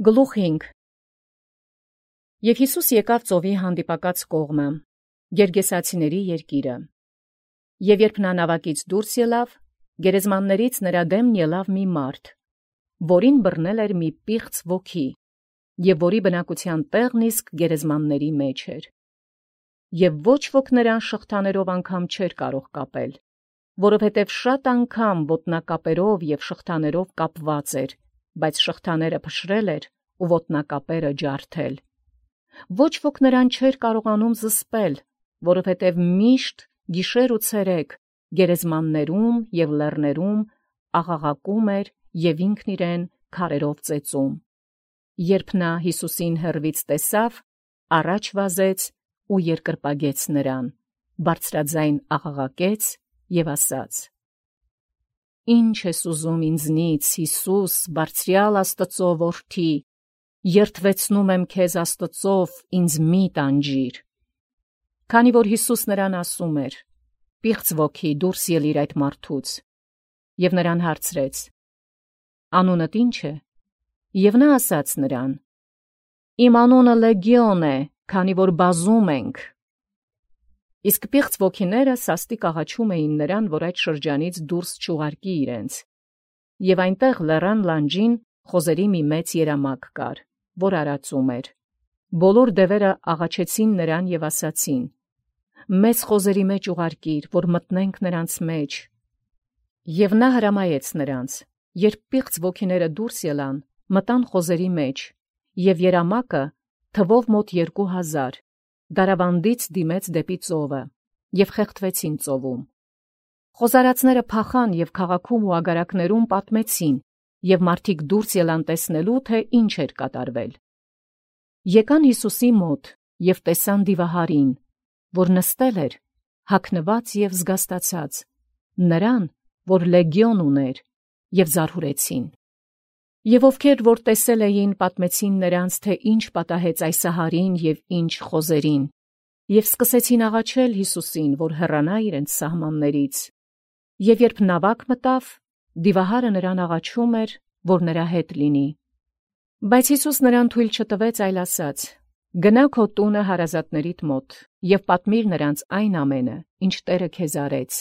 Գլուխ 5 Եվ Յիսուս եկավ ծովի հանդիպակաց կողմը, Գերգեսացիների երկիրը, և երբ նա նավակից դուրս ելավ, գերեզմաններից նրա դեմն ելավ մի մարդ, որին բռնել էր մի պիղծ ոգի, և որի բնակության տեղն իսկ գերեզմանների մեջ էր. և ոչ ոք նրան շղթաներով անգամ չէր կարող կապել, որովհետև շատ անգամ ոտնակապերով և շղթաներով կապված էր, բայց շղթաները փշրել էր ու ոտնակապերը ջարդել. ոչ ոք նրան չէր կարողանում զսպել, որովհետև միշտ գիշեր ու ցերեկ գերեզմաններում և լեռներում աղաղակում էր և ինքն իրեն քարերով ծեծում. Երբ նա Յիսուսին հեռվից տեսավ, առաջ վազեց ու երկրպագեց նրան, բարձրաձայն աղաղակեց և ասաց. «Ի՞նչ ես ուզում ինձնից, Յիսուս, բարձրյալ Աստծո որդի, երդվեցնում եմ քեզ Աստծով, ինձ մի՛ տանջիր»։ Քանի որ Յիսուս նրան ասում էր. «Պիղծ ոգի, դուրս ելիր այդ մարդուց», և նրան հարցրեց. «Անունդ ի՞նչ է»։ Եվ նա ասաց նրան. «Իմ անունը Լեգիոն է, քանի որ բազում ենք»։ Իսկ պիղծ ոգիները սաստիկ աղաչում էին նրան, որ այդ շրջանից դուրս չուղարկի իրենց. և այնտեղ լեռան լանջին խոզերի մի մեծ երամակ կար, որ արածում էր. բոլոր դևերը աղաչեցին նրան և ասացին. «Մեզ խոզերի մեջ ուղարկիր, որ մտնենք նրանց մեջ»։ Եվ նա հրամայեց նրանց. երբ պիղծ ոգիները դուրս ելան, մտան խոզերի մեջ, և երամակը թվով մոտ 2000 դարավանդից դիմեց դեպի ծովը, և խեղդվեցին ծովում։ Խոզարածները փախան և քաղաքում ու ագարակներում պատմեցին, և մարդիկ դուրս ելան տեսնելու, թե ինչ էր կատարվել։ Եկան Յիսուսի մոտ և տեսան դիվահարին, որ նստել էր, հագնված և զգաստացած, նրան, որ Լեգիոն ուներ, և զարհուրեցին։ Եվ ովքեր որ տեսել էին, պատմեցին նրանց, թե ինչ պատահեց այս ահարին և ինչ խոզերին, և սկսեցին աղաչել Յիսուսին, որ հեռանա իրենց սահմաններից։ Եվ երբ նավակ մտավ, դիվահարը նրան աղաչում էր, որ նրա հետ լինի։ Բայց Յիսուս նրան թույլ չտվեց, այլ ասաց. «Գնա քո տունը հարազատներիդ մոտ և պատմիր նրանց այն ամենը, ինչ Տերը քեզ արեց,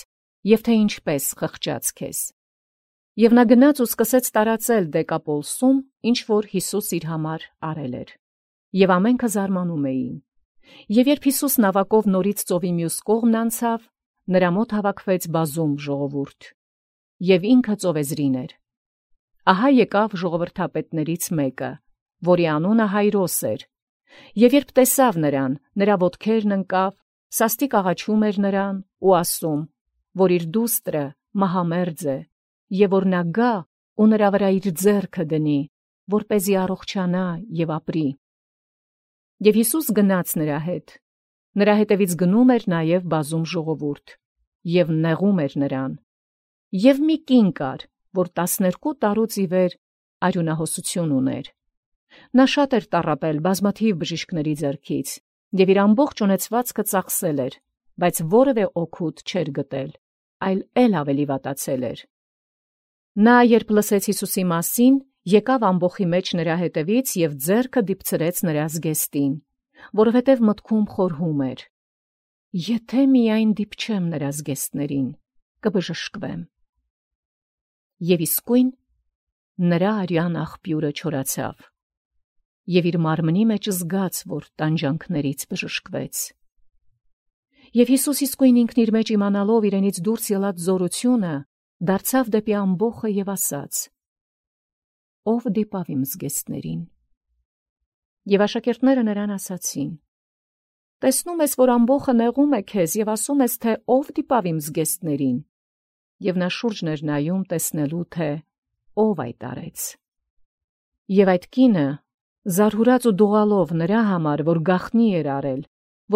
և թե ինչպես խղճաց քեզ»։ Եվ նա գնաց ու սկսեց տարածել Դեկապոլսում, ինչ որ Յիսուս իր համար արել էր։ Եվ ամենքը զարմանում էին։ Եվ երբ Յիսուս նավակով նորից ծովի մյուս կողմն անցավ, նրա մոտ հավաքվեց բազում ժողովուրդ, և ինքը ծովեզրին էր։ Ահա եկավ ժողովրդապետներից մեկը, որի անունը Հայրոս էր, և երբ տեսավ նրան, նրա ոտքերն ընկավ, սաստիկ աղաչում էր նրան ու ասում, որ իր դուստրը մահամերձ է, և որ նա գա ու նրա վրա իր ձեռքը դնի, որպեսզի առողջանա և ապրի։ Եվ Յիսուս գնաց նրա հետ։ Նրա հետևից գնում էր նաև բազում ժողովուրդ, և նեղում էր նրան։ Եվ մի կին կար, որ 12 տարուց ի վեր արյունահոսություն ուներ։ Նա շատ էր տառապել բազմաթիվ բժիշկների ձեռքից, և իր ամբողջ ունեցվածքը ծախսել էր, բայց որևէ օգուտ չէր գտել, այլ ավելի վատացել էր։ Նա, երբ լսեց Յիսուսի մասին, եկավ ամբոխի մեջ նրա հետևից և ձեռքը դիպցրեց նրա զգեստին, որովհետև մտքում խորհում էր. «Եթե միայն դիպչեմ նրա զգեստներին, կբժշկվեմ»։ Եվ իսկույն նրա արյան աղբյուրը չորացավ, և իր մարմնի մեջ զգաց, որ տանջանքներից բժշկվեց։ Եվ Յիսուս իսկույն ինքն իր մեջ իմանալով իրենից դուրս ելած զորությունը, դարձավ դեպի ամբոխը և ասաց. «Ո՞վ դիպավ իմ զգեստներին»։ Եվ աշակերտները նրան ասացին. «Տեսնում ես, որ ամբոխը նեղում է քեզ և ասում ես, թե ո՞վ դիպավ իմ զգեստներին»։ Եվ նա շուրջն էր նայում տեսնելու, թե ով այդ արեց։ Եվ այդ կինը, զարհուրած ու դողալով նրա համար, որ գաղտնի էր արել,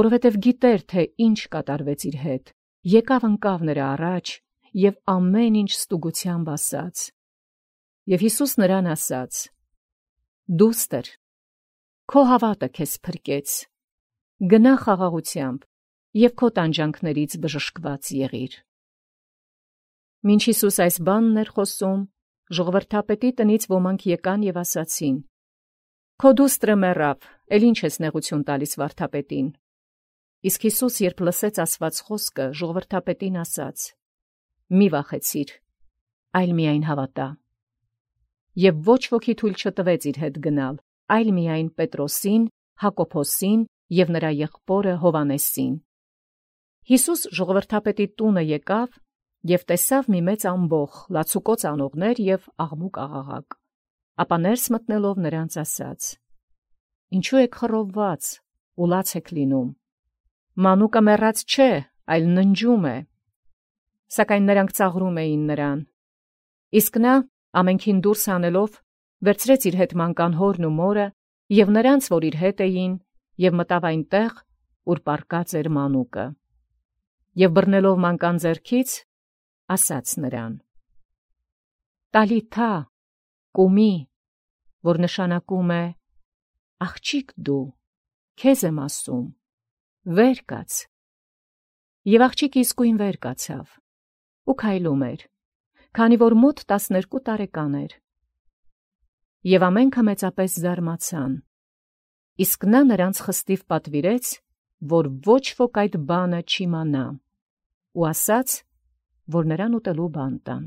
որովհետև գիտեր, թե ինչ կատարվեց իր հետ, եկավ ընկավ նրա առաջ և ամեն ինչ ստուգությամբ ասաց։ Եվ Յիսուս նրան ասաց. «Դուստր, քո հավատը քեզ փրկեց. գնա խաղաղությամբ և քո տանջանքներից բժշկված եղիր»։ Մինչ Յիսուս այս բանն էր խոսում, ժողովրդապետի տնից ոմանք եկան և ասացին. Քո դուստրը մեռավ, էլ ինչ ես նեղություն տալիս վարդապետին։ Իսկ Հիսուս, երբ լսեց ասված խոսքը, ժողովրդապետին ասաց. «Մի վախեցիր, այլ միայն հավատա»։ Եվ ոչ ոքի թույլ չտվեց իր հետ գնալ, այլ միայն Պետրոսին, Հակոբոսին և նրա եղբորը Հովանեսին։ Հիսուս ժողովրդապետի տունը եկավ և տեսավ մի մեծ ամբոխ, լացուկոծ անողներ և աղմուկ աղաղակ։ Ապա ներս մտնելով նրանց ասաց. «Ինչու եք խռովված ու լաց եք լինում. մանուկը մեռած չէ, այլ ննջում է»։ Սակայն նրանք ծաղրում էին նրան։ Իսկ նա, ամենքին դուրս հանելով, վերցրեց իր հետ մանկան հորն ու մորը և նրանց, որ իր հետ էին, և մտավ այնտեղ, ուր պառկած էր մանուկը։ Եվ բռնելով մանկան ձեռքից, ասաց նրան. «Տալիթա, կումի», որ նշանակում է. «Աղջիկ դու, քեզ եմ ասում, վեր կաց»։ Եվ աղջիկը իսկույն վեր կացավ ու քայլում էր, քանի որ մոտ 12 տարեկան էր։ Եվ ամենքը մեծապես զարմացան։ Իսկ նա նրանց խստիվ պատվիրեց, որ ոչ ոք այդ բանը չիմանա, ու ասաց, որ նրան ուտելու բան տան։